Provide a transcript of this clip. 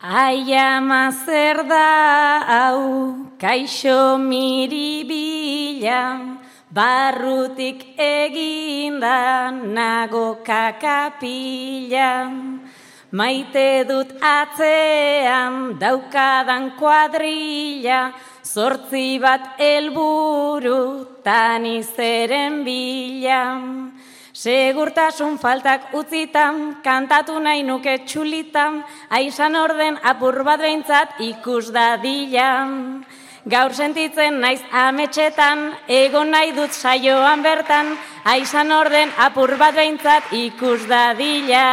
Ai ama zer da hau, kaixo miribila, barrutik eginda nago kakapila. Maite dut atzean daukadan kuadrilla, 8 bat helburu tani zeren bila. Segurtasun faltak utzitan, kantatu nahi nuke txulitan, aizan orden apur bat behintzat ikus dadila. Gaur sentitzen naiz ametxetan, egon nahi dut saioan bertan, aizan orden apur bat behintzat ikus dadila.